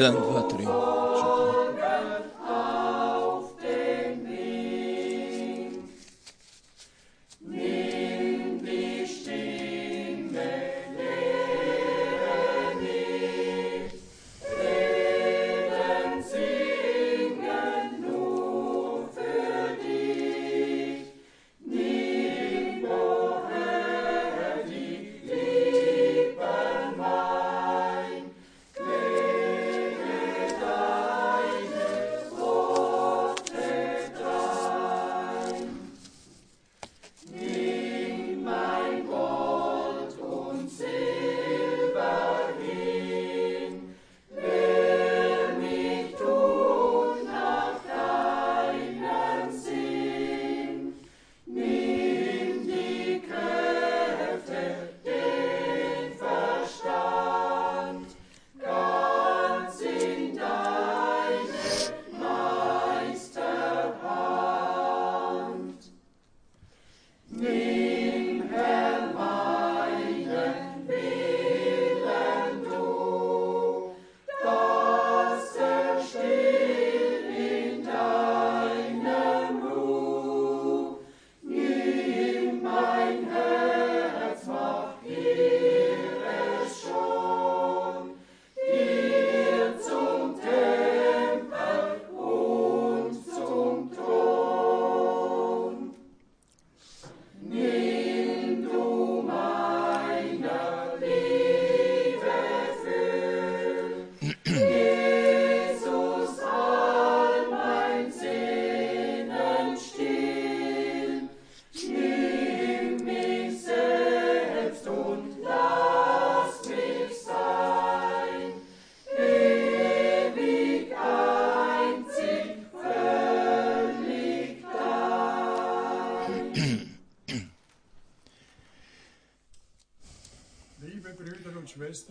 1, 2, 3, 4.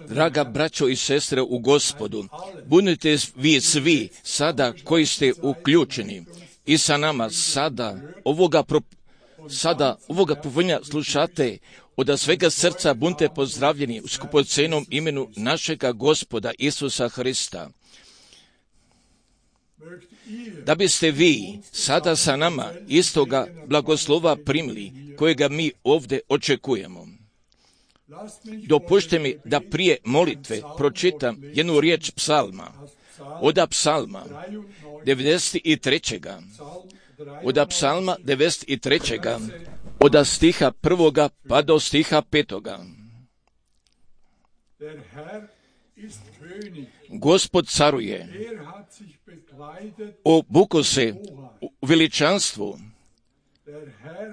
Draga braćo i sestre u Gospodu, budite vi svi sada koji ste uključeni i sa nama sada ovoga povoljenja slušate, od svega srca budite pozdravljeni u skupocenom imenu našega Gospoda Isusa Hrista. Da biste vi sada sa nama istoga blagoslova primili kojega mi ovdje očekujemo. Dopušte mi da prije molitve pročitam jednu riječ psalma, od psalma 93. Od psalma 93. od stiha 1. pa do stiha 5. Gospod caruje, obuko se u veličanstvu,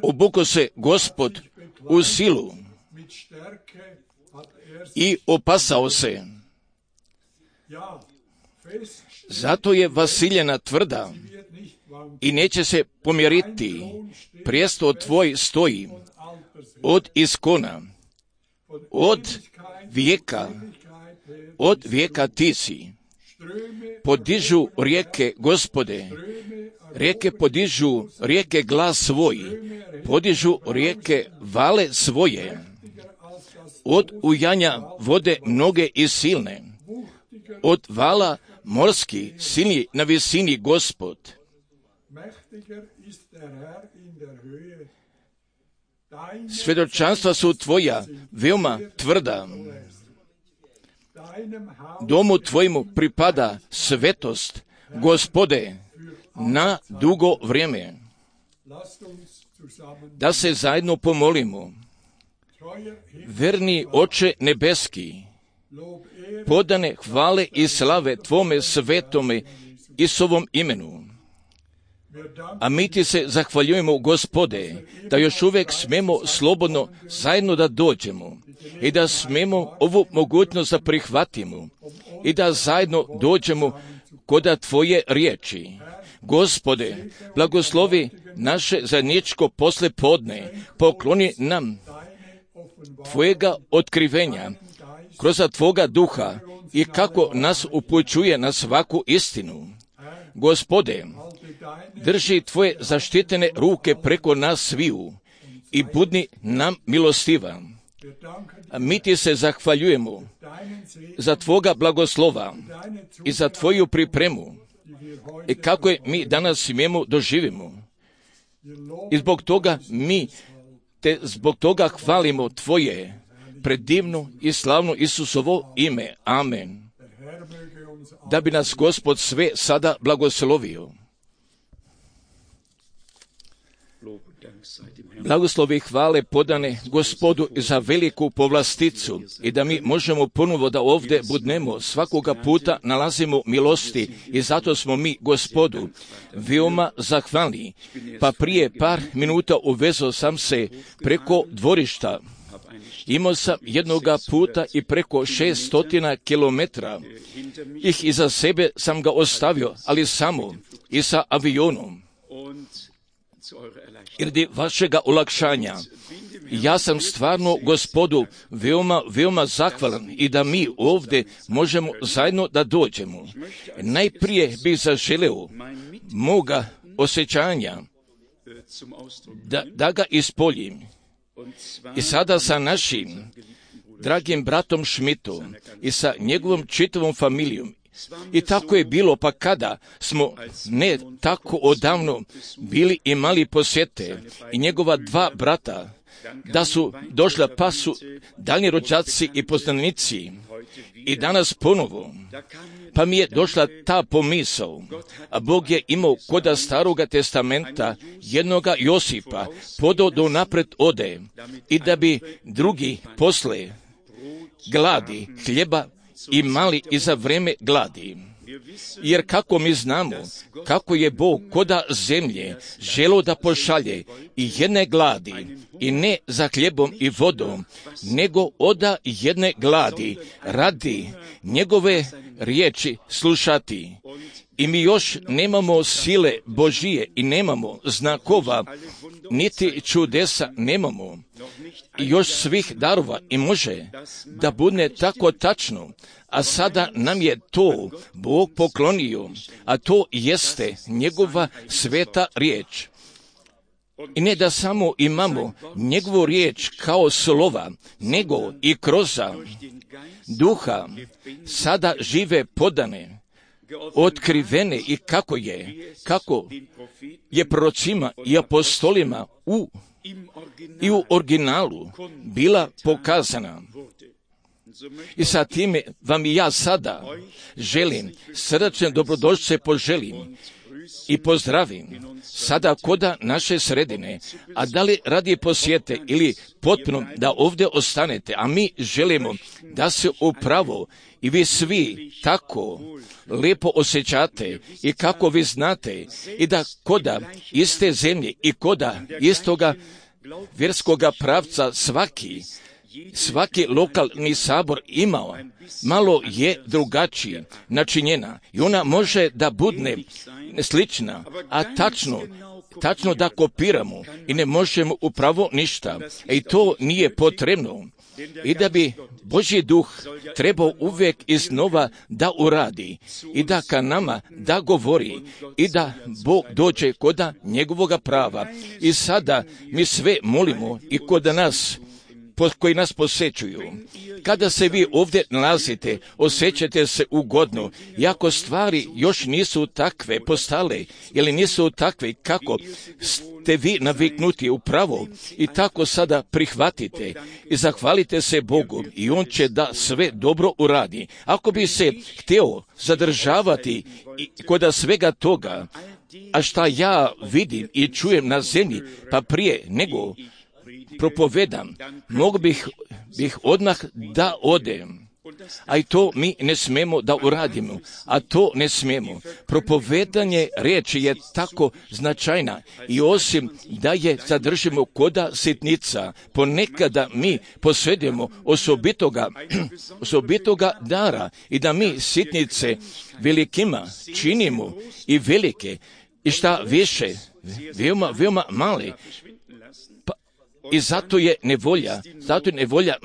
obuko se Gospod u silu i opasao se. Zato je vasiljena tvrda i neće se pomjeriti. Prijesto tvoj stoji od iskona, od vijeka ti si. Podižu rijeke, Gospode, rijeke podižu, rijeke glas svoj, podižu rijeke vale svoje. Od ujanja vode mnoge i silne, od vala morski silni na visini Gospod. Svjedočanstva su tvoja veoma tvrda. Domu tvojemu pripada svetost, Gospode, na dugo vrijeme. Da se zajedno pomolimo. Verni Oče nebeski, podane hvale i slave Tvome svetome i sovom imenu. A mi ti se zahvaljujemo, Gospode, da još uvijek smemo slobodno zajedno da dođemo i da smemo ovu mogućnost da prihvatimo i da zajedno dođemo kod Tvoje riječi. Gospode, blagoslovi naše zajedničko poslijepodne, pokloni nam Tvojega otkrivenja kroz Tvoga duha i kako nas upućuje na svaku istinu. Gospode, drži Tvoje zaštitene ruke preko nas sviju i budni nam milostiva. Mi ti se zahvaljujemo za Tvoga blagoslova i za Tvoju pripremu i kako je mi danas smijemo doživimo. I zbog toga mi te zbog toga hvalimo Tvoje predivno i slavno Isusovo ime. Amen. Da bi nas Gospod sve sada blagoslovio. Blagoslovi hvale podane Gospodu za veliku povlasticu i da mi možemo ponovo da ovdje budnemo. Svakoga puta nalazimo milosti i zato smo mi Gospodu veoma zahvalni. Pa prije par minuta uvezao sam se preko dvorišta. Imao sam jednoga puta i preko 600 kilometara. Ih iza sebe sam ga ostavio, ali samo i sa avionom. I radi vašega olakšanja, ja sam stvarno Gospodu veoma zahvalan i da mi ovdje možemo zajedno da dođemo. Najprije bih zaželeo moga osjećanja da ga ispoljim. I sada sa našim dragim bratom Šmitom i sa njegovom čitavom familijom. I tako je bilo, pa kada smo ne tako odavno bili imali posjete i njegova dva brata, da su došla, pa su daljnji rođaci i poznanici. I danas ponovo, pa mi je došla ta pomisao, a Bog je imao koda Staroga testamenta jednoga Josipa, podao do napred ode i da bi drugi posle gladi hljeba imali i za vreme gladi. Jer kako mi znamo, kako je Bog koda zemlje želo da pošalje i jedne gladi, i ne za hljebom i vodom, nego oda jedne gladi, radi njegove riječi slušati. I mi još nemamo sile Božije i nemamo znakova, niti čudesa nemamo. I još svih darova i može da bude tako tačno, a sada nam je to Bog poklonio, a to jeste njegova sveta riječ. I ne da samo imamo njegovu riječ kao slova, nego i kroz duha sada žive podane, otkrivene i kako je prorocima i apostolima i u originalu bila pokazana. I sa time vam i ja sada želim, srdačne dobrodošlice poželim i pozdravim sada koda naše sredine, a da li radi posjete ili potpuno da ovdje ostanete, a mi želimo da se upravo i vi svi tako lijepo osjećate i kako vi znate i da koda iste zemlje i koda istoga vjerskoga pravca svaki lokalni sabor imao, malo je drugačiji načinjena i ona može da budne slična, a tačno da kopiramo i ne možemo upravo ništa. I to nije potrebno. I da bi Božji duh trebao uvijek iznova da uradi i da ka nama da govori i da Bog dođe koda njegovoga prava. I sada mi sve molimo i koda nas koji nas posjećuju. Kada se vi ovdje nalazite, osjećate se ugodno, iako stvari još nisu takve postale, ili nisu takve kako ste vi naviknuti upravo i tako sada prihvatite i zahvalite se Bogu i On će da sve dobro uradi. Ako bi se htio zadržavati kod svega toga, a šta ja vidim i čujem na zemlji, pa prije nego propovedam, mogu bih odmah da odem. A i to mi ne smemo da uradimo, a to ne smemo. Propovedanje riječi je tako značajna i osim da je zadržimo koda sitnica, ponekada mi posjedujemo osobitoga dara i da mi sitnice velikima činimo i velike i šta više, veoma male. I zato je nevolja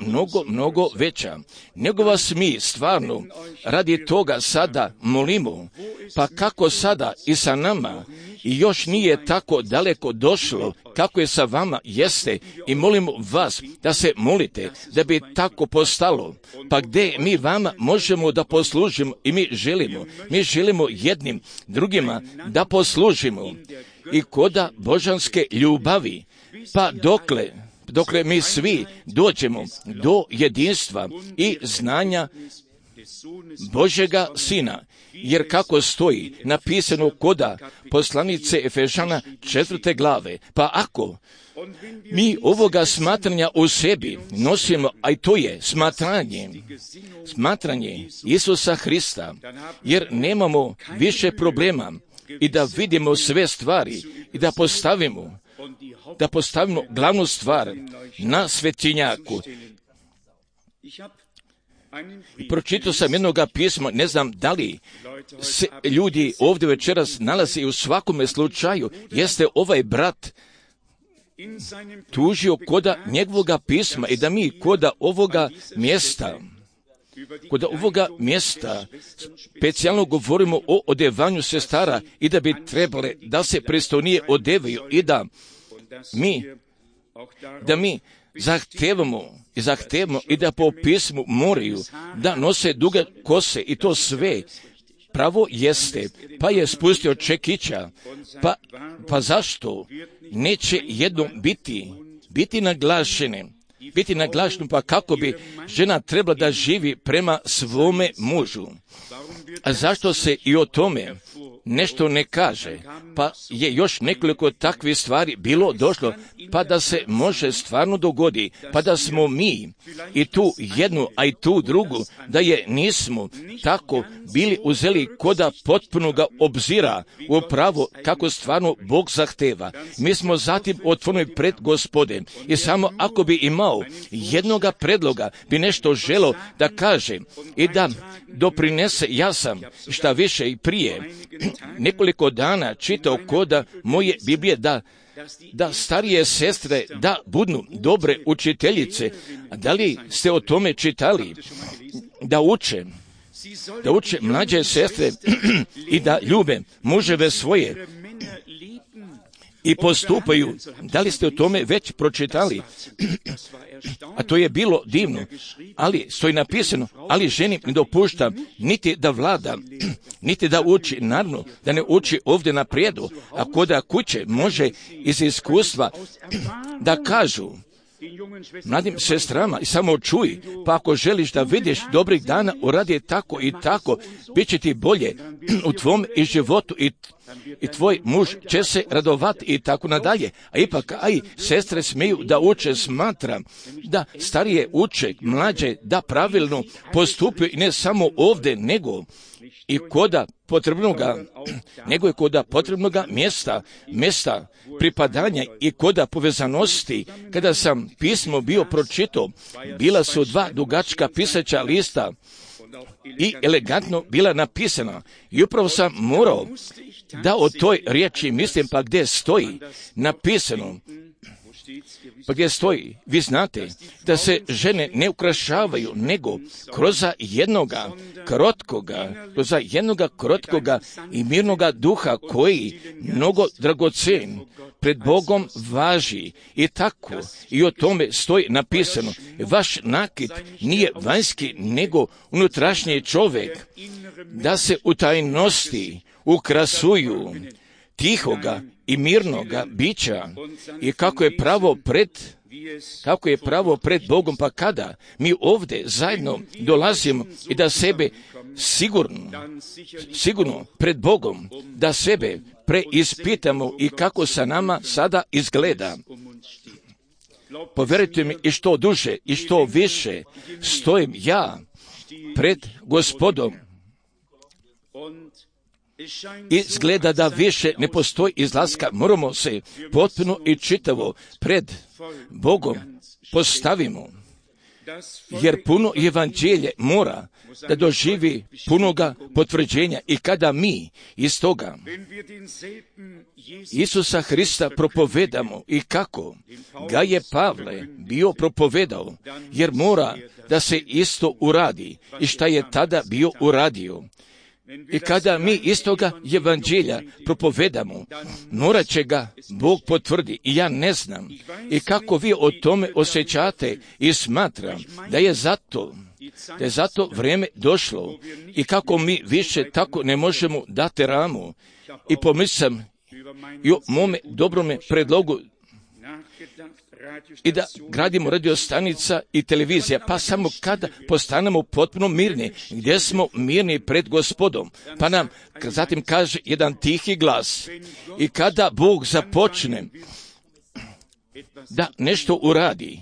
mnogo veća. Nego vas mi stvarno radi toga sada molimo, pa kako sada i sa nama i još nije tako daleko došlo kako je sa vama jeste i molimo vas da se molite da bi tako postalo. Pa gdje mi vama možemo da poslužimo i mi želimo jednim drugima da poslužimo i koda božanske ljubavi, pa dokle mi svi dođemo do jedinstva i znanja Božega Sina, jer kako stoji napisano koda poslanice Efežana 4. glave, pa ako mi ovoga smatranja u sebi nosimo, a i to je smatranje Isusa Hrista, jer nemamo više problema i da vidimo sve stvari i da postavimo glavnu stvar na svetinjaku. I pročitao sam jednoga pisma, ne znam da li se ljudi ovdje večeras nalaze i u svakome slučaju jeste ovaj brat tužio koda njegovoga pisma i da mi koda ovoga mjesta specijalno govorimo o odevanju sestara i da bi trebale da se pristojnije odevaju i da mi zahtevamo i da po pismu moraju da nose duge kose i to sve pravo jeste, pa je spustio čekića, pa zašto neće jednom biti naglašeno, pa kako bi žena trebala da živi prema svome mužu. A zašto se i o tome nešto ne kaže, pa je još nekoliko takvih stvari bilo došlo, pa da se može stvarno dogodi, pa da smo mi i tu jednu, a i tu drugu, da je nismo tako bili uzeli koda potpunoga obzira u pravo kako stvarno Bog zahteva. Mi smo zatim otvorili pred Gospodem i samo ako bi imao jednoga predloga, bi nešto želo da kaže i da doprinese, ja sam šta više i prije nekoliko dana čitao koda moje Biblije da starije sestre da budu dobre učiteljice. A da li ste o tome čitali? Da uče mlađe sestre i da ljube muževe svoje i postupaju. Da li ste o tome već pročitali? A to je bilo divno, ali stoji napisano, ali ženi ne dopušta niti da vlada, niti da uči, naravno da ne uči ovdje na prijedu, a koda kuće može iz iskustva da kažu mladim sestrama i samo čuj, pa ako želiš da vidiš dobrih dana, uradi tako i tako, bit će ti bolje u tvom i životu i tvoj muž će se radovati i tako nadalje. A ipak, sestre smiju da uče, smatram da starije uče, mlađe da pravilno postupaju i ne samo ovdje, nego i koda potrebnoga mjesta pripadanja i koda povezanosti. Kada sam pismo bio pročitao, bila su 2 dugačka pisaća lista i elegantno bila napisana. I upravo sam morao da o toj riječi mislim, pa gdje stoji napisano, pa gdje stoji, vi znate, da se žene ne ukrašavaju, nego kroz jednoga krotkoga i mirnoga duha koji mnogo dragocen pred Bogom važi. I tako, i o tome stoji napisano, vaš nakit nije vanjski, nego unutrašnji čovjek, da se u tajnosti ukrasuju tihoga i mirnoga bića i kako je pravo pred Bogom, pa kada mi ovdje zajedno dolazimo i da sebe sigurno pred Bogom, da sebe preispitamo i kako sa nama sada izgleda. Povjerujte mi, i što duže i što više stojim ja pred Gospodom, izgleda da više ne postoji izlaska, moramo se potpuno i čitavo pred Bogom postavimo. jer puno evanđelje mora da doživi punoga potvrđenja i kada mi iz toga Isusa Hrista propovedamo i kako ga je Pavle bio propovedao, jer mora da se isto uradi i šta je tada bio uradio. I kada mi iz toga evanđelja propovedamo, morat će ga Bog potvrdi. I ja ne znam i kako vi o tome osjećate i smatram da je zato vrijeme došlo i kako mi više tako ne možemo dati ramu. I pomislim i o mome dobrome predlogu i da gradimo radiostanica i televizija, pa samo kada postanemo potpuno mirni, gdje smo mirni pred Gospodom, pa nam zatim kaže jedan tihi glas i kada Bog započne da nešto uradi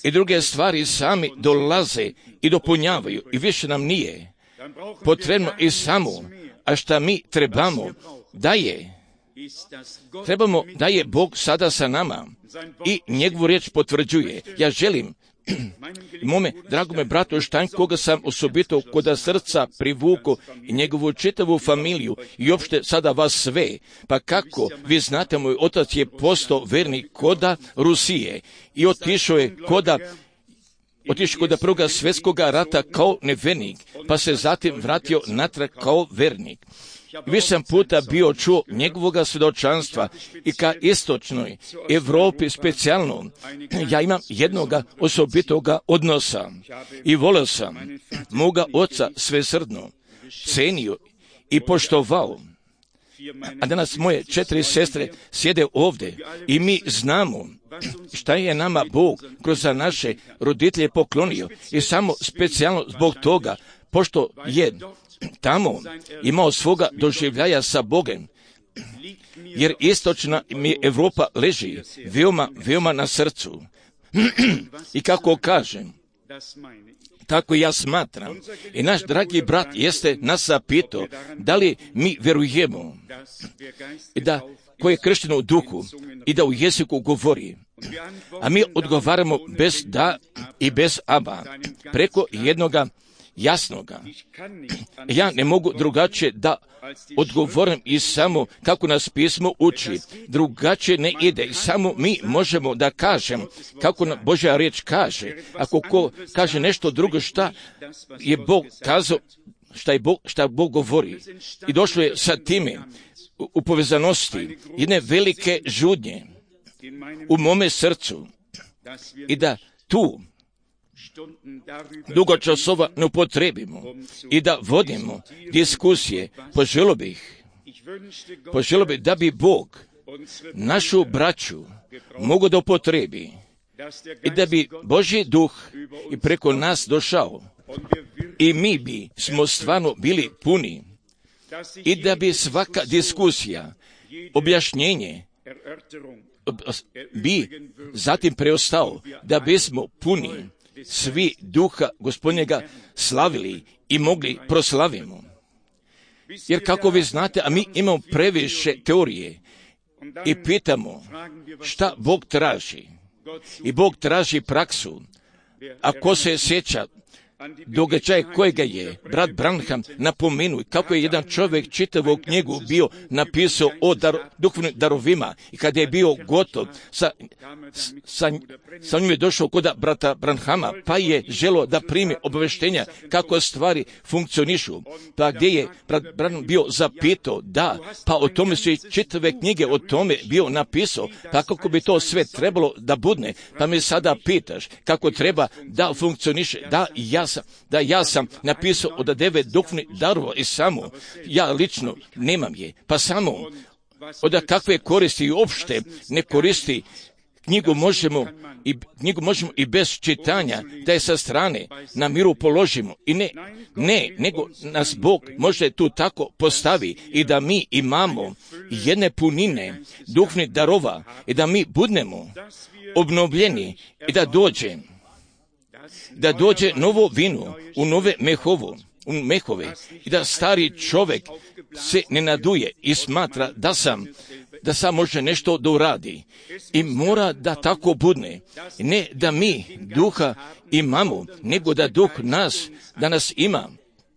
i druge stvari sami dolaze i dopunjavaju i više nam nije potrebno i samo, a šta mi trebamo da je Bog sada sa nama i njegovu riječ potvrđuje. Ja želim mome dragome bratu Štajn, koga sam osobito koda srca privuku i njegovu čitavu familiju i uopšte sada vas sve, pa kako vi znate, moj otac je postao vernik koda Rusije i otišao kod Prvoga svjetskoga rata kao nevernik, pa se zatim vratio natrag kao vernik. Više sam puta bio čuo njegovoga svjedočanstva i ka istočnoj Europi specijalno. Ja imam jednoga osobitoga odnosa i volio sam moga oca svesrdno, cenio i poštovao. A danas moje 4 sestre sjede ovdje i mi znamo šta je nama Bog kroz naše roditelje poklonio i samo specijalno zbog toga, pošto je tamo imao svoga doživljaja sa Bogom, jer istočna mi Evropa leži veoma na srcu. I kako kažem, tako ja smatram. I naš dragi brat jeste nas zapitao da li mi vjerujemo i da ko je kršten u duhu i da u jeziku govori. A mi odgovaramo bez da i bez aba, preko jednoga jasnoga. Ja ne mogu drugačije da odgovorim i samo kako nas pismo uči. Drugačije ne ide i samo mi možemo da kažem kako nam Božja riječ kaže. Ako ko kaže nešto drugo šta je Bog kazao, šta Bog govori. I došlo je sa time u povezanosti jedne velike žudnje u mome srcu i da tu dugo časova ne upotrebimo i da vodimo diskusije. Poželio bih da bi Bog našu braću mogao da upotrebi i da bi Božji duh i preko nas došao i mi bi smo stvarno bili puni i da bi svaka diskusija, objašnjenje bi zatim preostao, da bismo puni svi duha Gospodnjega slavili i mogli proslavimo. Jer kako vi znate, a mi imamo previše teorije i pitamo šta Bog traži. I Bog traži praksu. A ko se sjeća događaja kojega je brat Branham napomenuo, kako je jedan čovjek čitavu knjigu bio napisao o duhovnim darovima i kada je bio gotov sa njim je došao kod brata Branhama, pa je želio da primi obaveštenja kako stvari funkcionišu. Pa gdje je brat Branham bio zapitao, pa o tome su i čitave knjige o tome bio napisao, pa kako bi to sve trebalo da budne, pa me sada pitaš kako treba da funkcioniše, ja sam napisao od 9 duhovnih darova i samo ja lično nemam je, pa samo od kakve koristi i uopšte ne koristi. Knjigu možemo i bez čitanja da je sa strane na miru položimo i nego nas Bog može tu tako postavi i da mi imamo jedne punine duhovnih darova i da mi budemo obnovljeni i da dođe novo vino u nove mehovo mehove i da stari čovjek se ne naduje i smatra da sam može nešto da uradi. I mora da tako budne. Ne da mi duha imamo, nego da duh da nas ima.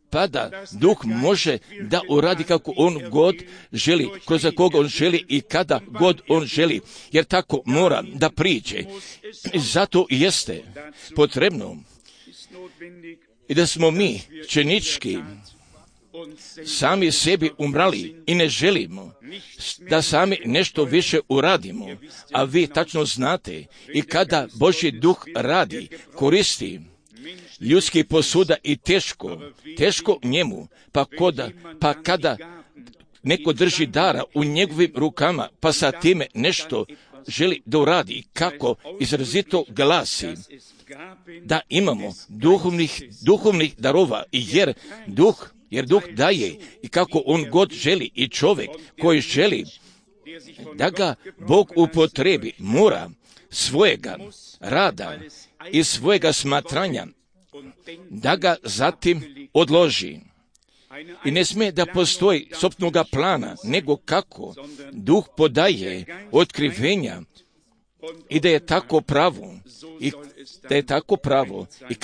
Pa da duh može da uradi kako on god želi, kroz koga on želi i kada god on želi, jer tako mora da priđe. I zato jeste potrebno i da smo mi čenički sami sebi umrali i ne želimo da sami nešto više uradimo, a vi tačno znate i kada Božji duh radi, koristi ljudski posuda i teško njemu, pa kada neko drži dara u njegovim rukama, pa sa time nešto želi da uradi, kako izrazito glasi da imamo duhovnih darova, jer duh daje i kako on god želi, i čovjek koji želi da ga Bog upotrebi mora svojega rada i svojega smatranja da ga zatim odloži. I ne smije da postoji sopstvenog plana, nego kako duh podaje otkrivenja i da je tako pravo i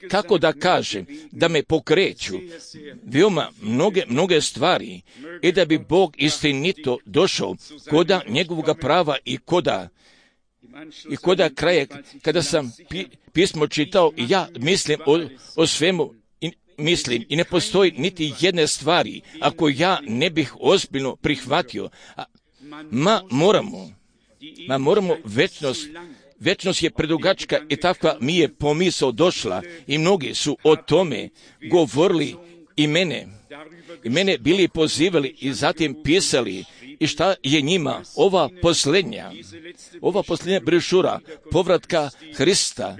kako da kažem, da me pokreću veoma mnoge stvari i da bi Bog istinito došao koda njegovog prava i koda kraje, kada sam pismo čitao, ja mislim o svemu, mislim, i ne postoji niti jedne stvari ako ja ne bih ozbiljno prihvatio. Moramo večnost je predugačka i takva mi je pomisao došla i mnogi su o tome govorili i mene bili pozivali i zatim pisali. I šta je njima ova posljednja brošura povratka Hrista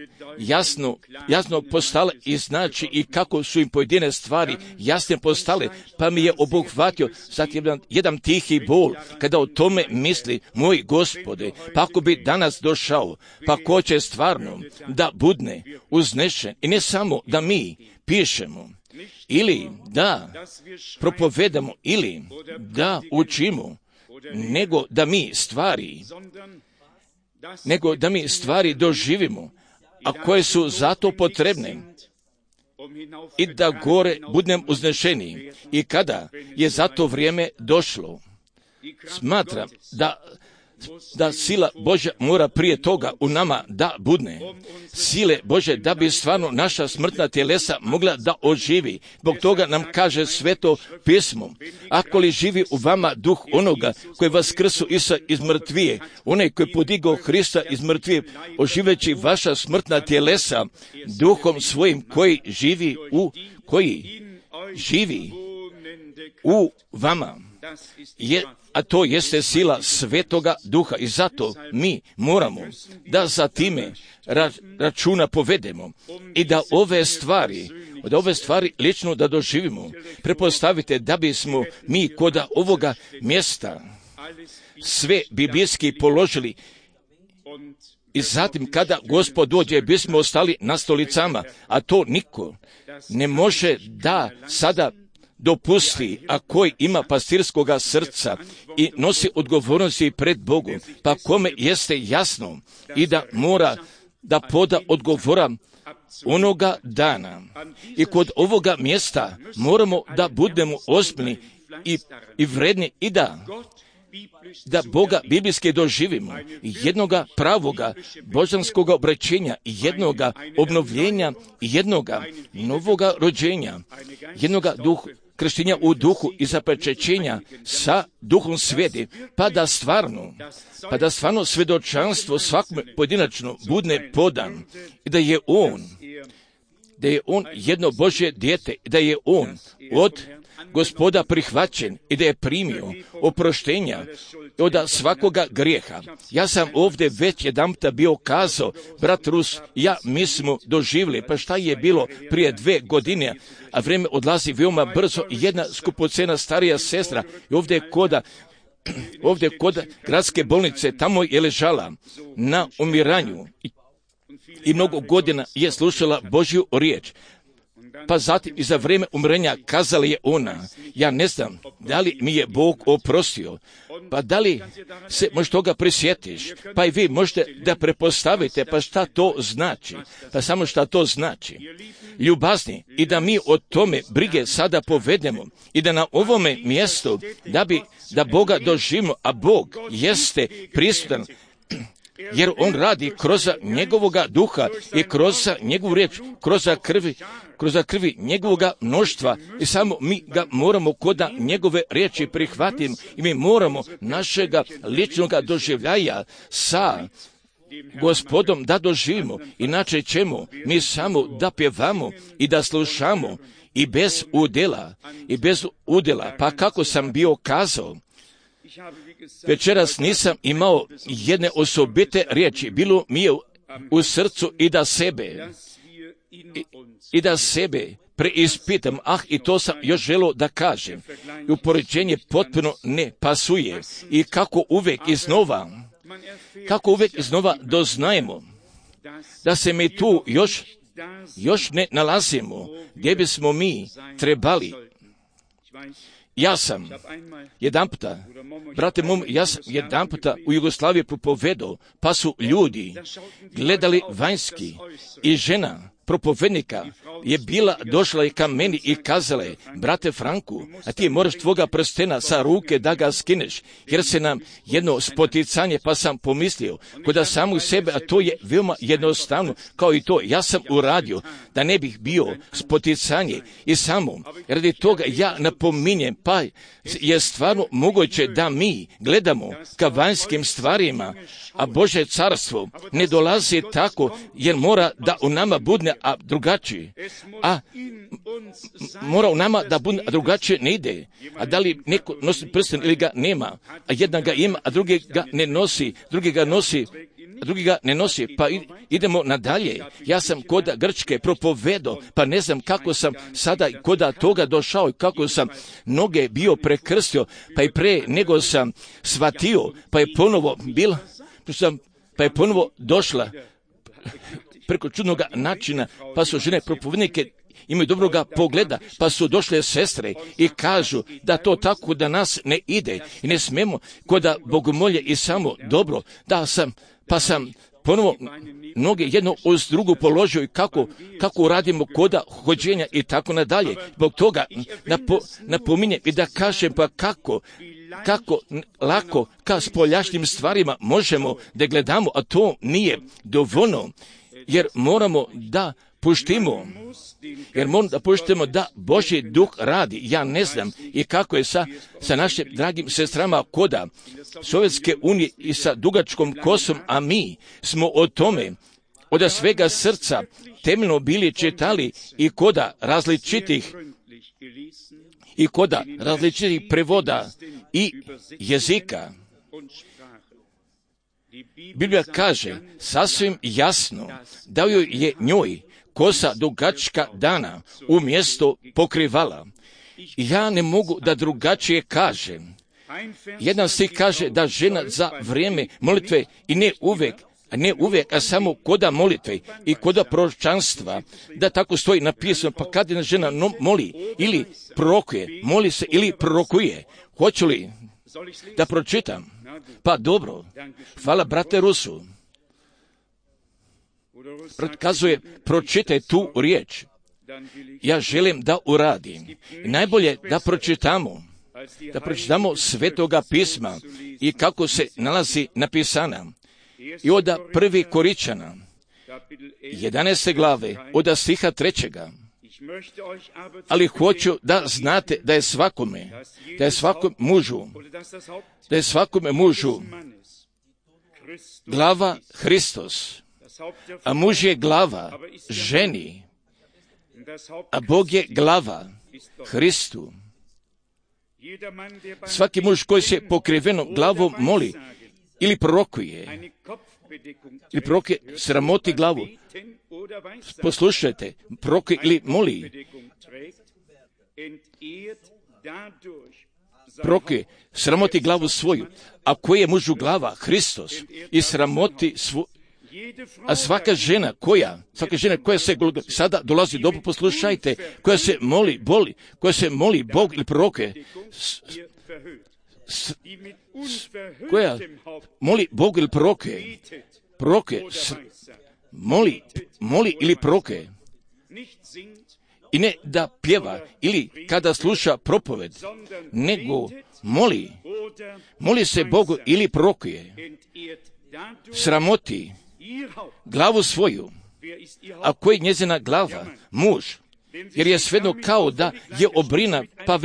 jasno postale i znači i kako su im pojedine stvari jasne postale, pa mi je obuhvatio zatim jedan tihi bol kada o tome misli, moj Gospode, pa ako bi danas došao, pa ko će stvarno da budne uznešen, i ne samo da mi pišemo ili da propovedamo ili da učimo, nego da mi stvari doživimo, a koje su zato potrebne, i da gore budem uznešeni. I kada je za to vrijeme došlo, smatram da sila Božja mora prije toga u nama da budne. Sile Božje da bi stvarno naša smrtna tjelesa mogla da oživi. Zbog toga nam kaže Sveto pismo, ako li živi u vama duh onoga koji vaskrsu Isa iz mrtvije, onaj koji podigao Hrista iz mrtvije, oživeći vaša smrtna tjelesa duhom svojim koji živi u vama. A to jeste sila Svetoga Duha, i zato mi moramo da za time računa povedemo i da ove stvari lično da doživimo. Prepostavite da bismo mi kod ovoga mjesta sve biblijski položili i zatim kada Gospod dođe bismo ostali na stolicama, a to niko ne može da sada dopusti, a koji ima pastirskoga srca i nosi odgovornosti pred Bogom, pa kome jeste jasno i da mora da poda odgovora onoga dana. I kod ovoga mjesta moramo da budemo ozbiljni i vredni i da Boga biblijski doživimo, jednoga pravoga božanskoga obraćenja, jednoga obnovljenja, jednoga novoga rođenja, jednoga krštenja u duhu i zapečećenja sa duhom sveti, pa da stvarno svedočanstvo svakom pojedinačno budne podan i da je on jedno Božje dijete, da je on od Gospoda prihvaćen i da je primio oproštenja od svakoga grijeha. Ja sam ovdje već jedanputa bio kazao, brat Rus, mi smo doživjeli, pa šta je bilo prije 2 godine, a vrijeme odlazi veoma brzo, i jedna skupocena starija sestra i ovdje kod gradske bolnice, tamo je ležala na umiranju i mnogo godina je slušala Božju riječ. pa zatim i za vrijeme umrenja kazala je ona, ja ne znam da li mi je Bog oprostio, pa da li se možeš toga prisjetiš, pa i vi možete da prepostavite, pa šta to znači, pa samo šta to znači. Ljubazni, i da mi o tome brige sada povedemo i da na ovome mjestu da Boga doživimo, a Bog jeste prisutan, jer On radi kroz njegovoga duha i kroz njegovu riječ, kroz krvi njegovoga mnoštva, i samo mi ga moramo koda njegove riječi prihvatiti i mi moramo našega ličnoga doživljaja sa Gospodom da doživimo, inače ćemo mi samo da pjevamo i da slušamo i bez udjela, pa kako sam bio kazao, večeras nisam imao jedne osobite riječi, bilo mi je u srcu i da sebe preispitam, i to sam još želio da kažem, i upoređenje potpuno ne pasuje, i kako uvijek iznova doznajemo da se mi tu još ne nalazimo gdje bismo mi trebali. Ja sam jedanputa u Jugoslaviji propovedao, pa su ljudi gledali vanjski i žena propovednika je došla i ka meni i kazala je, brate Franku, a ti moraš tvoga prstena sa ruke da ga skineš, jer se nam jedno spoticanje, pa sam pomislio, kod samu sebe, a to je veoma jednostavno, kao i to, ja sam uradio, da ne bih bio spoticanje i samo, radi toga ja napominjem, pa je stvarno moguće da mi gledamo ka vanjskim stvarima, a Božje carstvo ne dolazi tako, jer mora da u nama bude drugačije, a mora u nama da bude drugačije ne ide, a da li neko nosi prsten ili ga nema, a jedna ga ima, a drugi ga ne nosi, drugi ga ne nosi, pa idemo nadalje. Ja sam koda Grčke propovedao, pa ne znam kako sam sada koda toga došao i kako sam noge bio prekrstio, pa i pre nego sam shvatio, pa je ponovo došla preko čudnog načina, pa su žene propovednike imaju dobroga pogleda, pa su došle sestre i kažu da to tako da nas ne ide i ne smemo koda bogomolje i samo dobro, pa sam ponovo noge jedno uz drugu položio i kako radimo koda hođenja i tako nadalje. Zbog toga napominjem i da kažem, pa kako lako ka spoljašnjim stvarima možemo da gledamo, a to nije dovoljno, jer moramo da puštimo da Božji duh radi. Ja ne znam i kako je sa našim dragim sestrama koda Sovjetske unije i sa dugačkom kosom, a mi smo o tome od svega srca temeljno bili čitali i koda različitih prevoda i jezika. Biblija kaže sasvim jasno da joj je njoj kosa dugačka dana umjesto pokrivala. Ja ne mogu da drugačije kažem. Jedan stih kaže da žena za vrijeme molitve i ne uvijek, a samo koda molitve i koda proročanstva, da tako stoji napisano, pa kad jedna žena moli ili prorokuje, moli se ili prorokuje. Hoću li da pročitam? Pa dobro, hvala brate Rusu. Kazuje, pročitaj tu riječ. Ja želim da uradim. I najbolje da pročitamo Svetoga pisma i kako se nalazi napisana. I od 1. Koričana, 11. glave, od stiha 3. Ali hoću da znate da je svakome mužu glava Hristos, a muž je glava ženi, a Bog je glava Hristu. Svaki muž koji se pokrivenom glavom moli ili prorokuje, sramoti glavu. Poslušajte, prorokuje ili moli. Prorokuje, sramoti glavu svoju. A koji je mužu glava? Hristos. I A svaka žena koja se sada dolazi, dobro poslušajte, koja se moli Bog ili proroke, koja moli Bog ili proroke, moli ili proroke, i ne da pjeva ili kada sluša propoved, nego moli se Bogu ili prorokuje, sramoti glavu svoju. A koji je njezina glava? Muž. Jer je svejedno kao da je obrina, pa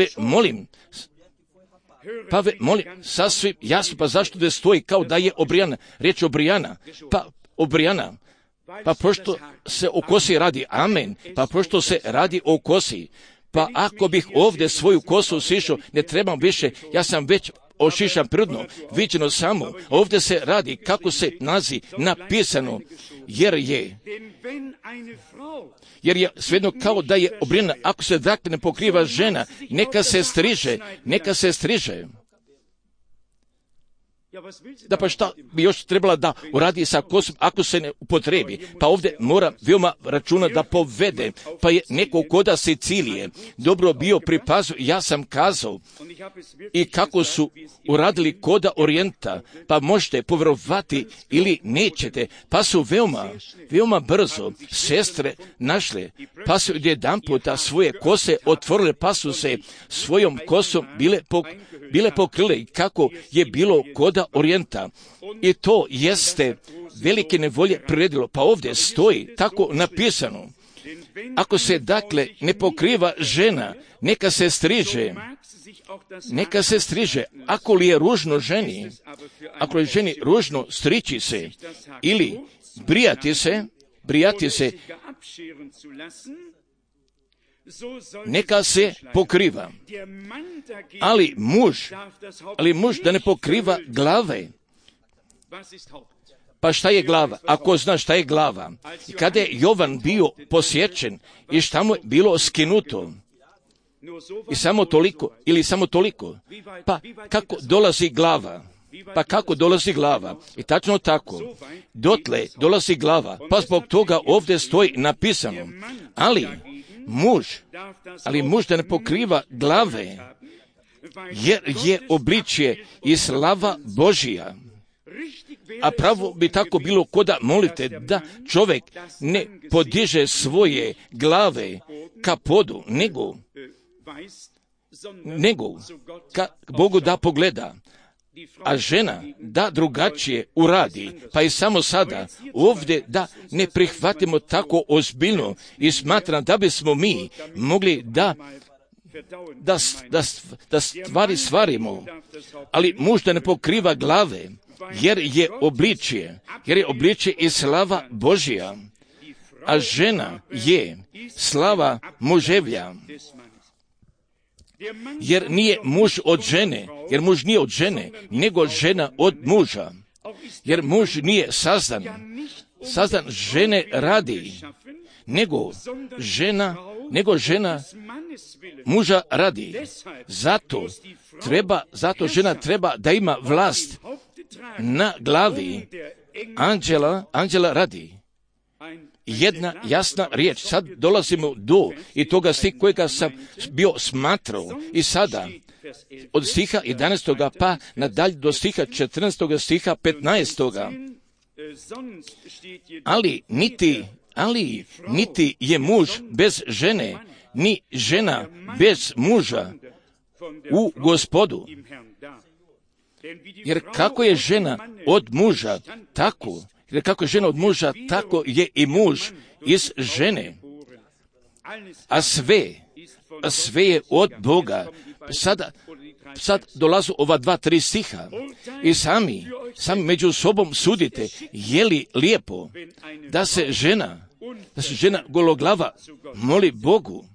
molim, sasvim jasno, pa zašto da stoji kao da je obrijana? Riječ obrijana, pa pošto se o kosi radi, amen, pa pošto se radi o kosi, pa ako bih ovdje svoju kosu sišao, ne trebam više, ja sam već ošišan prirodno, viđeno samo, ovdje se radi kako se nazi napisano, jer je svejedno kao da je obrijana. Ako se dakle ne pokriva žena, neka se striže. Da pa šta bi još trebala da uradi sa kosom ako se ne upotrebi? Pa ovdje mora veoma računa da povede. Pa je neko koda Sicilije dobro bio pripazio, ja sam kazao, i kako su uradili koda Orijenta, pa možete povjerovati ili nećete, pa su veoma brzo sestre našle, pa su jedan puta svoje kose otvorile, pa su se svojom kosom bile pokrile, kako je bilo koda Orijenta. I to jeste velike nevolje priredilo. Pa ovdje stoji tako napisano. Ako se dakle ne pokriva žena, neka se striže. Ako li je ružno ženi, ako je ženi ružno strići se ili brijati se, neka se pokriva. Ali muž da ne pokriva glave. Pa šta je glava? Ako zna šta je glava. I kada je Jovan bio posječen i šta mu je bilo skinuto, i samo toliko. Pa kako dolazi glava? I tačno tako. Dotle dolazi glava. Pa zbog toga ovdje stoji napisano. Ali muž da ne pokriva glave, jer je obličje i slava Božija. A pravo bi tako bilo koda molite da čovjek ne podiže svoje glave ka podu, nego ka Bogu da pogleda. A žena da drugačije uradi, pa i samo sada ovdje da ne prihvatimo tako ozbiljno i smatram da bismo mi mogli da stvari stvarimo, ali muž da ne pokriva glave, jer je obličje i slava Božja, a žena je slava muževlja. Jer nije muž od žene, nego žena od muža. Jer muž nije sazdan žene radi, nego žena muža radi. Zato žena treba da ima vlast na glavi anđela radi. Jedna jasna riječ. Sad dolazimo do i toga stiha kojega sam bio smatrao. I sada od stiha 11. pa nadalje do stiha 14. stiha 15. Ali niti je muž bez žene, ni žena bez muža u Gospodu. Jer kako je žena od muža, tako je i muž iz žene. A sve je od Boga. Sad dolazu ova 2-3 stiha i sami među sobom sudite, je li lijepo da se žena gologlava moli Bogu,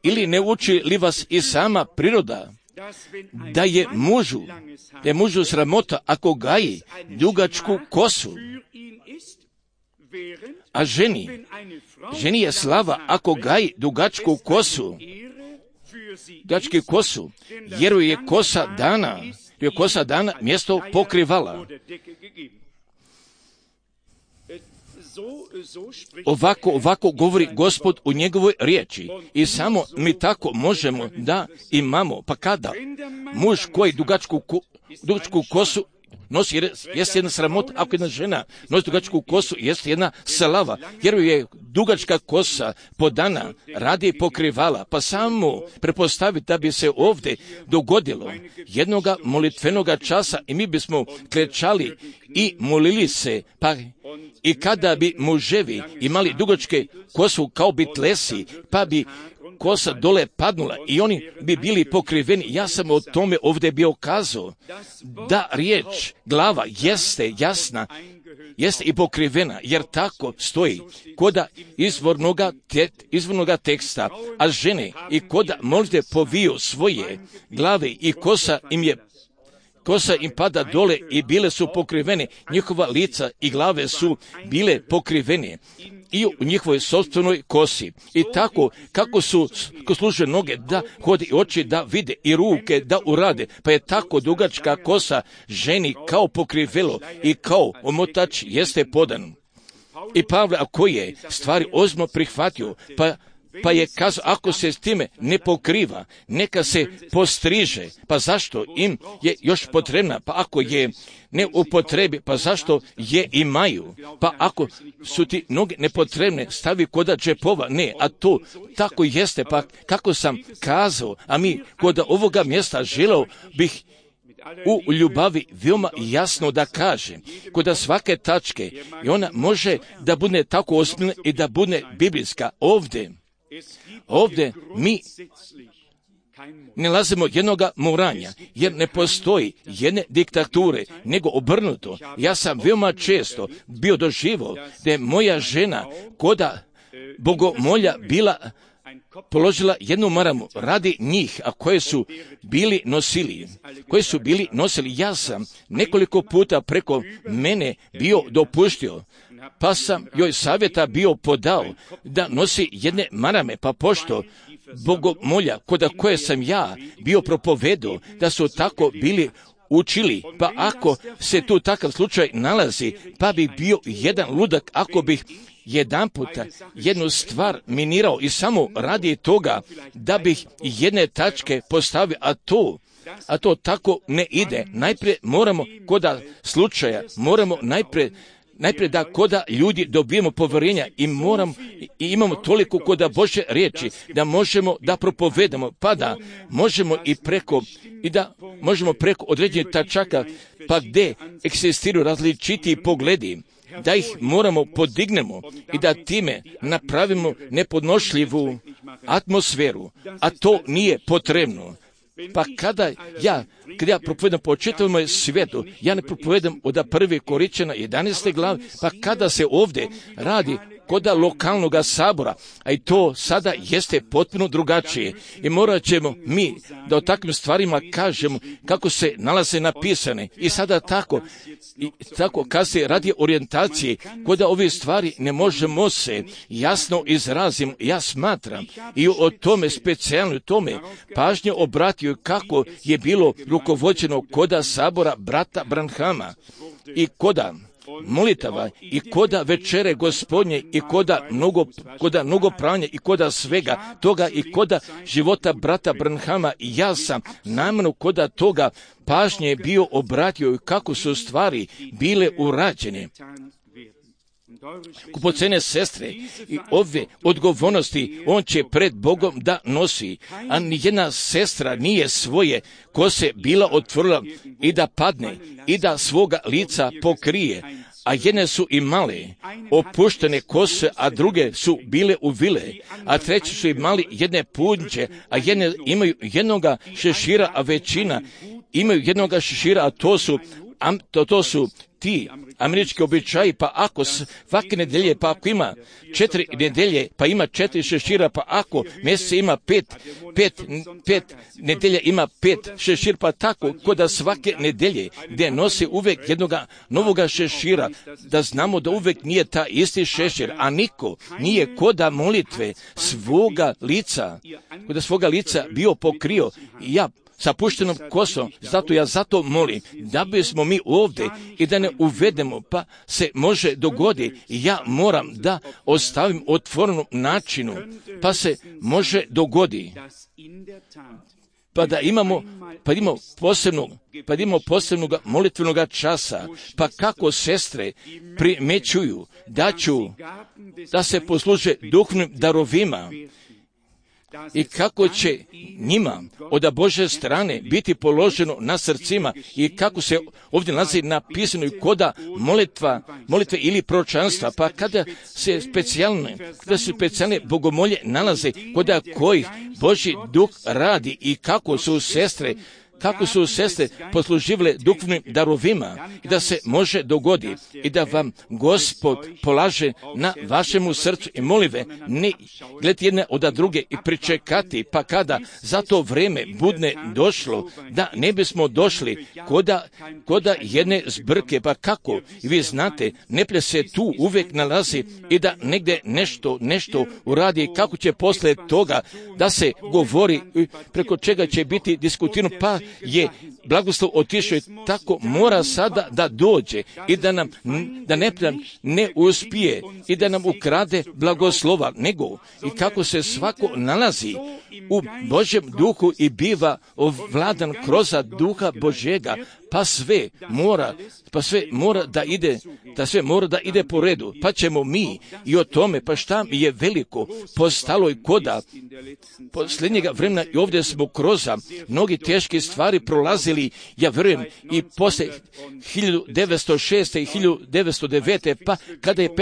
ili ne uči li vas i sama priroda da je mužu sramota ako gaji dugačku kosu, a ženi je slava ako gaji dugačku kosu, jer je kosa dana mjesto pokrivala. Ovako govori Gospod u njegovoj riječi i samo mi tako možemo da imamo. Pa kada muž koji dugačku kosu nosi, jest jedna sramota, ako jedna žena nosi dugačku kosu, jest jedna slava, jer je dugačka kosa podana radi pokrivala, pa samo prepostaviti da bi se ovdje dogodilo jednoga molitvenoga časa i mi bismo klečali i molili se, pa i kada bi muževi imali dugačke kosu kao bitlesi, pa bi kosa dole padnula i oni bi bili pokriveni. Ja sam o tome ovdje bio kazao, da riječ glava jeste jasna, jeste i pokrivena, jer tako stoji koda izvornoga teksta, a žene i koda molite poviju svoje glave i kosa im pada dole i bile su pokrivene, njihova lica i glave su bile pokrivene i u njihovoj sopstvenoj kosi. I tako, kako služe noge da hodi, oči da vide i ruke da urade, pa je tako dugačka kosa ženi kao pokrivelo i kao omotač jeste podan. I Pavle, ako je stvari ozbiljno prihvatio, pa je kazao, ako se s time ne pokriva, neka se postriže. Pa zašto im je još potrebna? Pa ako je ne upotrebi, pa zašto je imaju? Pa ako su ti noge nepotrebne, stavi koda džepova. Ne, a to tako jeste. Pa kako sam kazao, a mi koda ovoga mjesta želeo bih u ljubavi veoma jasno da kaže, koda svake tačke, i ona može da bude tako ozbiljna i da bude biblijska. Ovdje mi ne nalazimo jednoga moranja, jer ne postoji jedne diktature, nego obrnuto. Ja sam veoma često bio doživio da je moja žena koda bogomolja bila položila jednu maramu radi njih, a koje su bili nosili. Ja sam nekoliko puta preko mene bio dopustio, pa sam joj savjeta bio podao da nosi jedne marame, pa pošto bogomolja koda koje sam ja bio propovedao da su tako bili učili, pa ako se tu takav slučaj nalazi, pa bi bio jedan ludak ako bih jedan puta jednu stvar minirao i samo radi toga da bih jedne tačke postavio, a to tako ne ide. Najprije moramo koda slučaja, moramo najprije da koda ljudi dobijemo povjerenja i imamo toliko koda Božje riječi da možemo da propovedamo, pa da možemo možemo preko određenih tačaka, pa gdje egzistiraju različiti pogledi, da ih moramo podignemo i da time napravimo nepodnošljivu atmosferu, a to nije potrebno. Pa kada ja propovedam po čitavom svijetu, ja ne propovedam od 1. Korinćana 11. glave, pa kada se ovdje radi koda lokalnog sabora, a i to sada jeste potpuno drugačije. I morat ćemo mi da o takvim stvarima kažemo kako se nalaze napisane. I sada tako kad se radi orijentacije, koda ove stvari ne možemo se jasno izrazimo, ja smatram i o tome specijalno tome pažnje obratio kako je bilo rukovođeno koda sabora brata Branhama i koda molitava i koda večere Gospodnje i koda mnogo pranja i koda svega toga i koda života brata Branhama. I ja sam namjerno koda toga pažnje bio obratio i kako su stvari bile urađene. Kupocene sestre, i ove odgovornosti on će pred Bogom da nosi, a nijedna sestra nije svoje kose bila otvorila i da padne i da svoga lica pokrije, a jedne su imale opuštene kose, a druge su bile uvile, a treće su imali jedne punđe, a jedne imaju jednoga šešira, a većina imaju jednoga šešira, a to su ti američki običaji, pa ako svake nedelje, pa ako ima 4 nedelje, pa ima 4 šešira, pa ako mjeseca ima 5 nedelja ima 5 šešira, pa tako koda svake nedelje gdje nosi uvijek jednoga novoga šešira, da znamo da uvijek nije ta isti šešir, a niko nije koda molitve svoga lica bio pokrio. Ja sa puštenom kosom. Zato molim da bismo mi ovdje i da ne uvedemo, pa se može dogoditi. Ja moram da ostavim otvorenom načinu, pa se može dogoditi. Pa da imamo posebnog molitvenog časa, pa kako sestre primećuju da se posluže duhovnim darovima i kako će njima od Božje strane biti položeno na srcima i kako se ovdje nalazi napisano i koda molitve ili proročanstva, pa kada se specijalne bogomolje nalaze koda kojih Božji duh radi i kako su sestre posluživale duhovnim darovima i da se može dogoditi i da vam Gospod polaže na vašemu srcu i molive, ne gledati jedne od druge i pričekati, pa kada za to vrijeme budne došlo, da ne bismo došli koda jedne zbrke, pa kako, i vi znate, neplje se tu uvijek nalazi i da negdje nešto uradi, kako će poslije toga da se govori, preko čega će biti diskutirano, pa je blagoslov otišao i tako mora sada da dođe i da ne uspije i da nam ukrade blagoslova, nego i kako se svako nalazi u Božjem duhu i biva ovladan kroz duha Božjega, pa sve mora da ide po redu, pa ćemo mi i o tome, pa šta je veliko postalo i koda posljednjega vremena i ovdje smo kroz mnogi teške stvari prolazili, ja vjerujem i poslije 1906. i 1909. pa kada je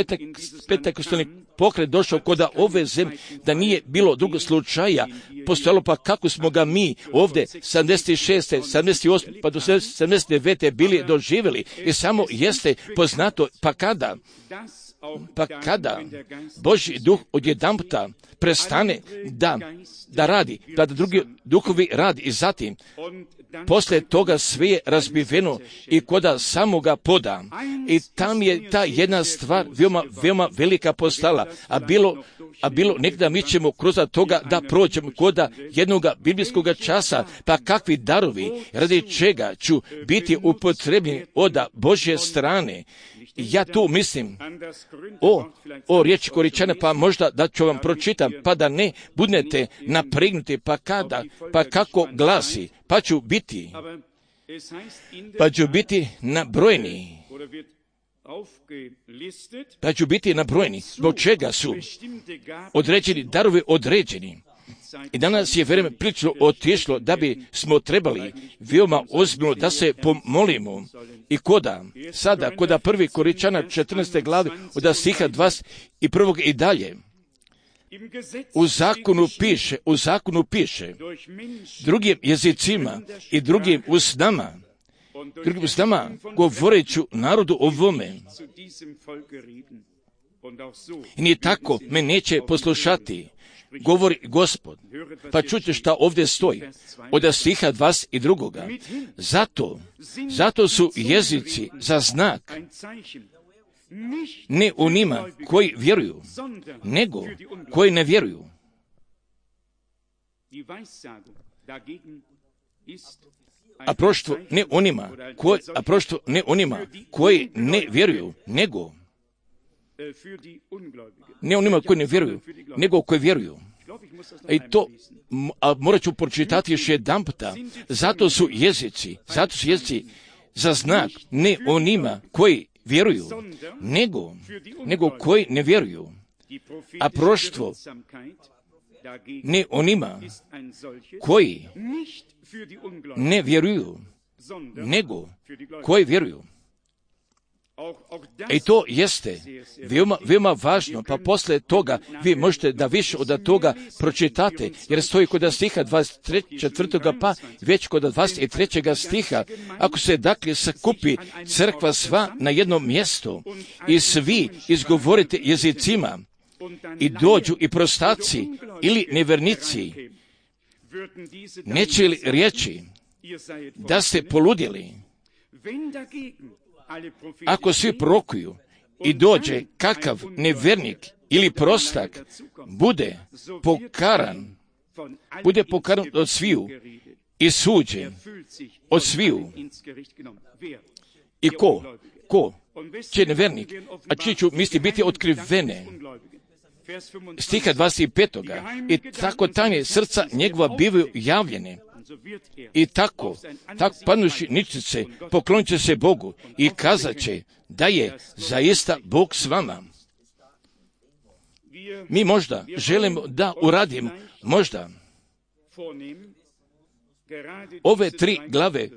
Pentekostalni pokret došao koda ove zemlje, da nije bilo drugog slučaja postojalo, pa kako smo ga mi ovdje 76. 78. pa do 79. bili doživjeli i samo jeste poznato, pa kada Božji duh odjedanputa prestane da radi, kada drugi duhovi radi i zatim poslije toga sve je razbiveno i koda samoga poda. I tam je ta jedna stvar veoma velika postala, a bilo nekada mi ćemo kroz toga da prođemo koda jednog biblijskog časa, pa kakvi darovi, radi čega ću biti upotrebljeni od Božje strane. Ja tu mislim o riječi Koričane, pa možda da ću vam pročitam, pa da ne budete napregnuti, pa kako glasi, pa ću biti nabrojeni. Pa ću biti nabrojeni, zbog čega su određeni darovi određeni. I danas je vrijeme prilično otišlo da bi smo trebali veoma ozbiljno da se pomolimo. I koda 1. Koričana 14. glave od stiha 21. i dalje. U zakonu piše drugim jezicima i drugim usnama govoreću narodu ovome. I nije tako me neće poslušati, govori Gospod. Pa čujte šta ovdje stoji od stiha 22. Zato su jezici za znak, ne onima koji vjeruju, nego koji ne vjeruju. A proštvo ne onima koji ne vjeruju, nego koji vjeruju. I to morat ću pročitati još jedan puta. Zato su jezici za znak, ne onima koji vjeruju, nego koji ne vjeruju. A proštvo ne onima koji ne vjeruju, nego koji vjeruju. I to jeste veoma važno, pa poslije toga vi možete da više od toga pročitate, jer stoji kod stiha 24. pa već kod 23. stiha, ako se dakle sakupi crkva sva na jednom mjestu i svi izgovorite jezicima i dođu i prostaci ili nevernici, neće li riječi da ste poludjeli? Ako svi prorokuju i dođe kakav nevernik ili prostak, bude pokaran od sviju i suđen od sviju. I ko će nevjernik, a čiji ću misli biti otkrivene. Stiha 25. I tako tajne srca njegova bivaju javljene. I tako padnuši ničice, poklonit će se Bogu i kazat će da je zaista Bog s vama. Mi možda želimo da uradimo, možda ove 3 glave,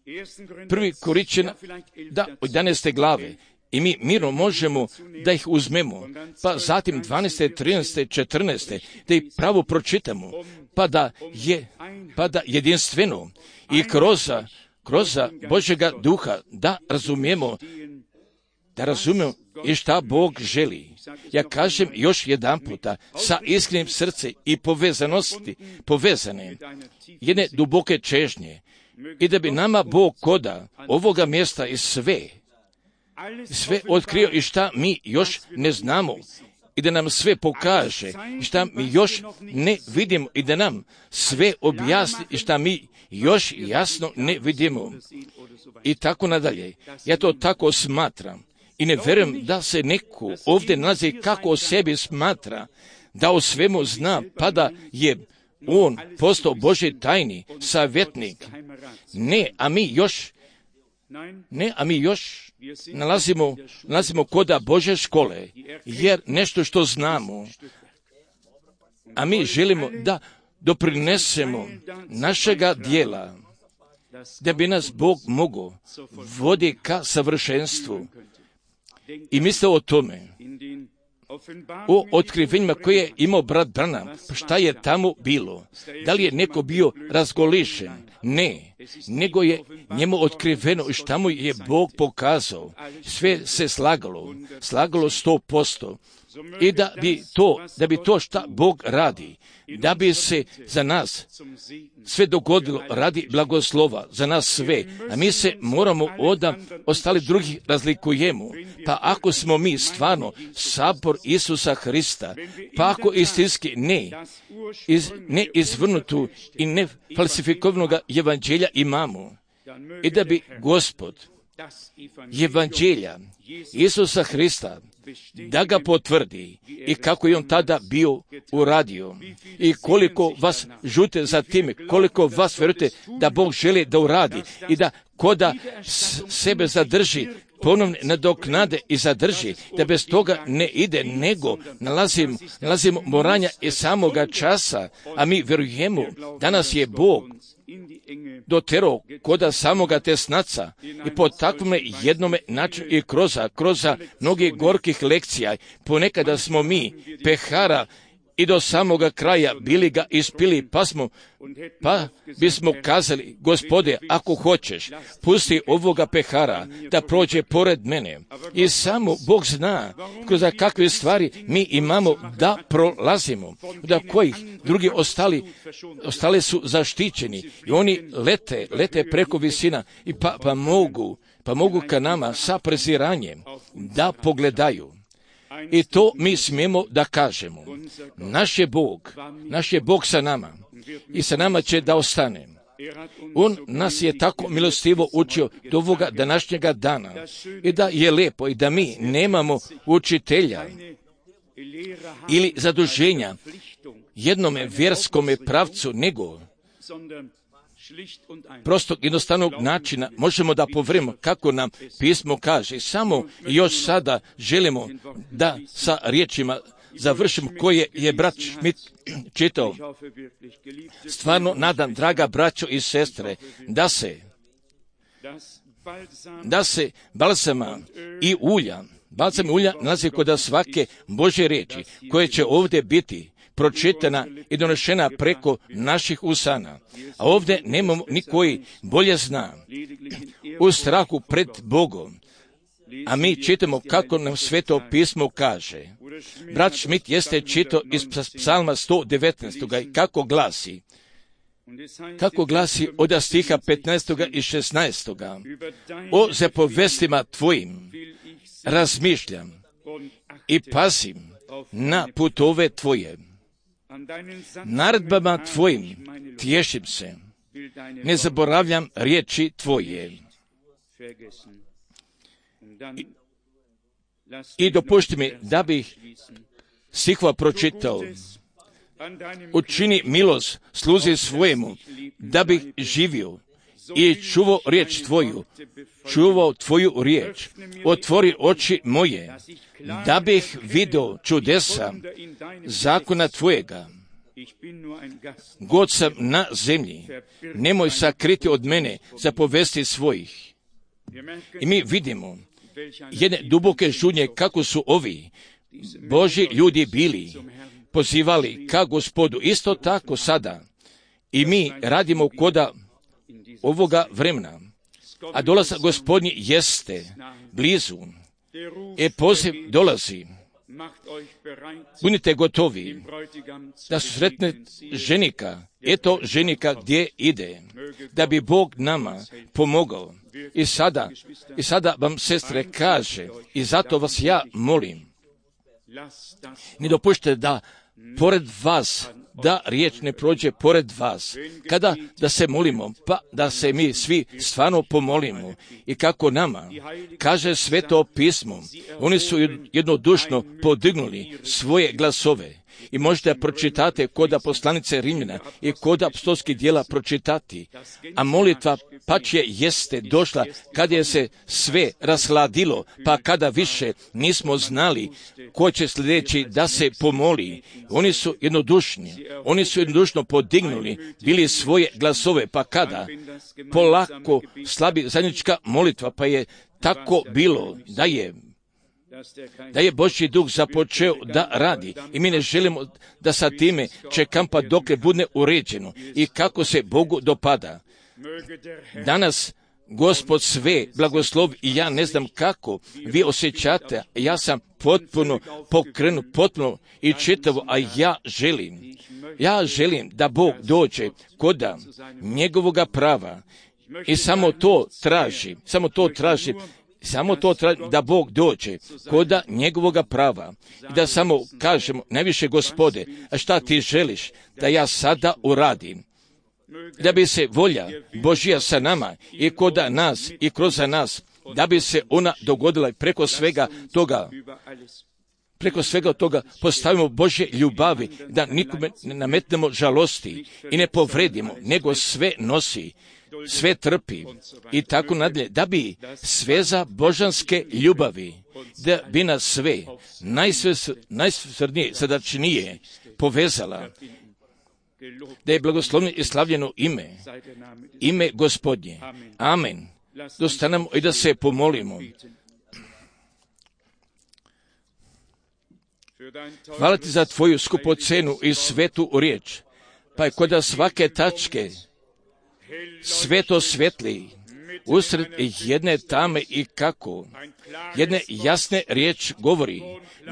1. Korinćana, od 11. glave, i mi mirno možemo da ih uzmemo, pa zatim 12., 13., 14., da ih pravo pročitamo, pa da jedinstveno i kroz Božjega duha da razumijemo i šta Bog želi. Ja kažem još jedan puta, sa iskrenim srcem i povezane jedne duboke čežnje, i da bi nama Bog koda ovoga mjesta i sve otkrio i šta mi još ne znamo, i da nam sve pokaže i šta mi još ne vidimo, i da nam sve objasni i šta mi još jasno ne vidimo. I tako nadalje. Ja to tako smatram. I ne vjerujem da se neko ovdje nalazi kako o sebi smatra, da o svemu zna, pa da je on postao Božji tajni savjetnik. Ne, a mi još nalazimo koda Božje škole, jer nešto što znamo, a mi želimo da doprinesemo našega dijela, da bi nas Bog mogao voditi ka savršenstvu. I misle o tome, o otkrivenjima koje je imao brat Branham, šta je tamo bilo. Da li je neko bio razgolišen? Ne, nego je njemu otkriveno šta mu je Bog pokazao. Sve se slagalo 100%. I da bi to šta Bog radi, da bi se za nas sve dogodilo radi blagoslova, za nas sve, a mi se moramo od ostali drugih razlikujemo. Pa ako smo mi stvarno sabor Isusa Hrista, pa ako istinski ne izvrnutu i ne falsifikovanog evanđelja imamo, i da bi Gospod evanđelja Isusa Hrista da ga potvrdi, i kako je on tada bio uradio, i koliko vas žute za time, koliko vas vjerujete da Bog želi da uradi i da koda sebe zadrži, ponovno nadoknade i zadrži, da bez toga ne ide, nego nalazimo moranja iz samoga časa, a mi vjerujemo da nas je Bog doterao koda samoga tesnaca, i po takvome jednome načinu i kroz mnogih gorkih lekcija, ponekada smo mi pehara i do samoga kraja bili ga ispili, pa bismo kazali, Gospode, ako hoćeš, pusti ovoga pehara da prođe pored mene. I samo Bog zna kroz kakve stvari mi imamo da prolazimo, da kojih drugi ostali su zaštićeni i oni lete preko visina i pa mogu ka nama sa preziranjem da pogledaju. I to mi smijemo da kažemo. Naš je Bog sa nama i sa nama će da ostane. On nas je tako milostivo učio do ovoga današnjega dana, i da je lepo i da mi nemamo učitelja ili zaduženja jednome vjerskome pravcu, nego prostog jednostavnog načina možemo da povremo kako nam pismo kaže. Samo još sada želimo da sa riječima završimo koje je brat Schmidt čitao. Stvarno nadam, draga braćo i sestre, da se balsama i ulja nalazi kod svake Božje riječi koje će ovdje biti pročitana i donešena preko naših usana. A ovdje nemamo nikoji bolje zna u strahu pred Bogom. A mi čitamo kako nam Sveto pismo kaže. Brat Schmidt jeste čitao iz psalma 119. Kako glasi od stiha 15. i 16. O zapovestima tvojim razmišljam i pazim na putove tvoje. Naredbama tvojim tješim se, ne zaboravljam riječi tvoje. I dopušti mi da bih stihova pročitao. Učini milost sluzi svojemu, da bih živio i čuvao riječ tvoju, čuvao tvoju riječ. Otvori oči moje, da bih vidio čudesa zakona tvojega. God sam na zemlji, nemoj sakriti od mene zapovesti svojih. I mi vidimo jedne duboke žudnje kako su ovi Božji ljudi bili, pozivali ka Gospodu. Isto tako sada i mi radimo koda ovoga vremena, a dolazak Gospodnji jeste blizu. Poziv dolazi. Budite gotovi da susretne ženika. Eto ženika gdje ide, da bi Bog nama pomogao. I sada vam, sestre, kaže, i zato vas ja molim, ne dopušte da pored vas, da riječ ne prođe pored vas. Kada da se molimo, pa da se mi svi stvarno pomolimo. I kako nama kaže Sveto pismo, oni su jednodušno podignuli svoje glasove. I možete pročitate kod poslanice Rimljana i kod apostolskih djela pročitati. A molitva pače jeste došla kada je se sve rashladilo, pa kada više nismo znali ko će sljedeći da se pomoli. Oni su jednodušno podignuli bili svoje glasove, pa kada polako slabi zajednička molitva, pa je tako bilo da je Božji duh započeo da radi. I mi ne želimo da sa time čekam pa dokle bude uređeno i kako se Bogu dopada. Danas Gospod sve blagoslovi i ja ne znam kako vi osjećate. Ja sam potpuno pokrenut, potpuno i čitavo, a ja želim da Bog dođe koda njegovoga prava i samo to traži da Bog dođe koda njegovoga prava i da samo kažemo, najviše Gospode, a šta ti želiš da ja sada uradim? Da bi se volja Božja sa nama i koda nas i kroz nas, da bi se ona dogodila preko svega toga postavimo Božje ljubavi, da nikome ne nametnemo žalosti i ne povredimo, nego sve nosi, sve trpi i tako nadalje, da bi sveza božanske ljubavi, da bi nas sve najsvrsnije, srdačnije povezala, da je blagoslovno i slavljeno ime Gospodnje. Amen. Dostanemo i da se pomolimo. Hvala ti za tvoju skupocenu i svetu riječ, pa je kod svake tačke sveto svetli, usred jedne tame i kako, jedne jasne riječ govori,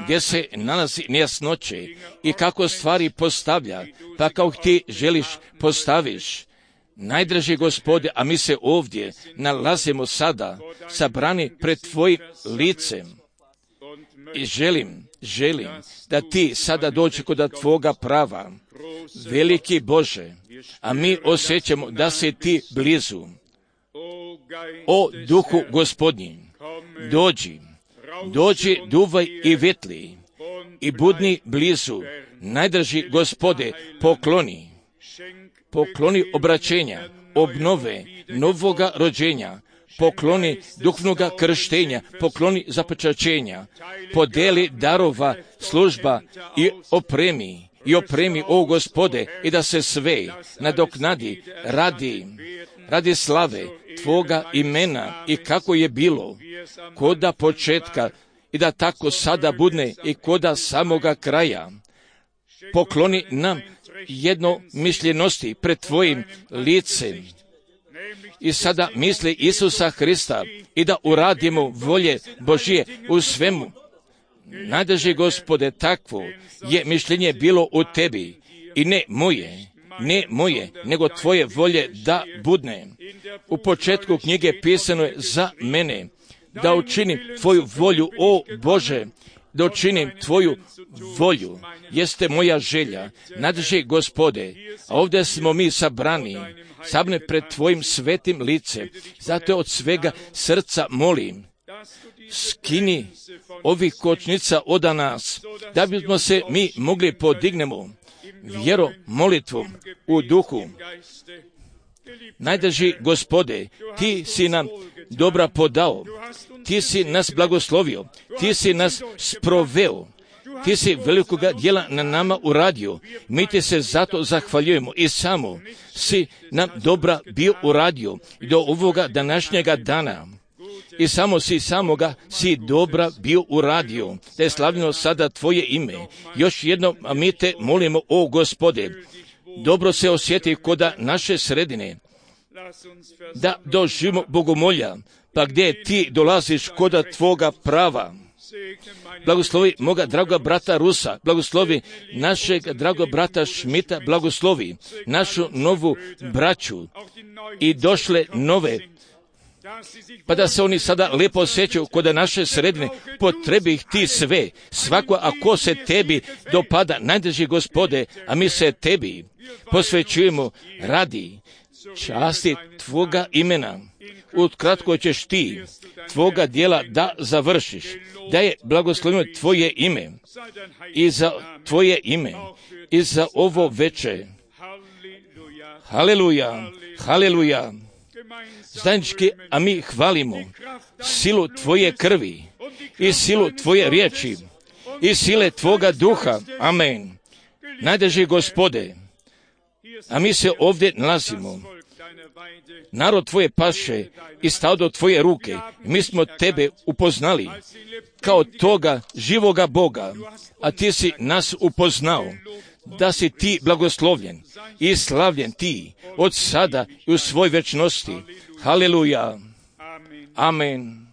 gdje se nalazi nejasnoće i kako stvari postavlja, pa kao ti želiš postaviš. Najdraži Gospode, a mi se ovdje nalazimo sada sabrani pred tvojim licem i želim da ti sada dođe kod tvoga prava, veliki Bože, a mi osjećamo da si ti blizu. O Duhu Gospodnji, dođi, duvaj i vetli i budni blizu. Najdraži Gospode, pokloni obraćenja, obnove, novoga rođenja, pokloni duhovnoga krštenja, pokloni zapečaćenja, podeli darova, služba i opremi, o Gospode, i da se sve nadoknadi radi slave tvoga imena i kako je bilo koda početka i da tako sada budne i koda samoga kraja. Pokloni nam jednomišljenosti pred tvojim licem i sada misli Isusa Hrista i da uradimo volje Božije u svemu. Najdraži Gospode, takvo je mišljenje bilo u tebi i ne moje, nego tvoje volje da budne. U početku knjige pisano je za mene, da učinim tvoju volju, o Bože, da učinim tvoju volju, jeste moja želja, nadrži Gospode, a ovdje smo mi sabrani pred tvojim svetim licem, zato od svega srca molim, skini ovih kočnica od nas, da bismo se mi mogli podignemo vjero molitvom u duhu. Najdrži Gospode, ti si nam dobra podao, ti si nas blagoslovio, ti si nas sproveo, ti si velikoga djela na nama uradio, mi ti se zato zahvaljujemo i samo si nam dobra bio uradio do ovoga današnjega dana. I samo si dobra bio uradio, da je slavljeno sada tvoje ime. Još jednom, a mi te molimo, o Gospode, dobro se osjeti koda naše sredine, da doživimo bogomolja, pa gdje ti dolaziš koda tvoga prava. Blagoslovi moga draga brata Rusa, blagoslovi našeg draga brata Šmita, blagoslovi našu novu braću i došle nove, pa da se oni sada lijepo osjećaju kod naše sredine, potrebi ih ti sve, svako ako se tebi dopada, najdrži Gospode, a mi se tebi posvećujemo radi časti tvoga imena. Ukratko ćeš ti tvoga djela da završiš, da je blagosloveno tvoje ime i za tvoje ime i za ovo veče. Haleluja, haleluja. Zajednički, a mi hvalimo silu tvoje krvi i silu tvoje riječi i sile tvoga duha. Amen. Najdrži Gospode, a mi se ovdje nalazimo. Narod tvoje paše i stado tvoje ruke. Mi smo tebe upoznali kao toga živoga Boga, a ti si nas upoznao, da si ti blagoslovljen i slavljen ti od sada i u svoj večnosti. Haleluja. Amen.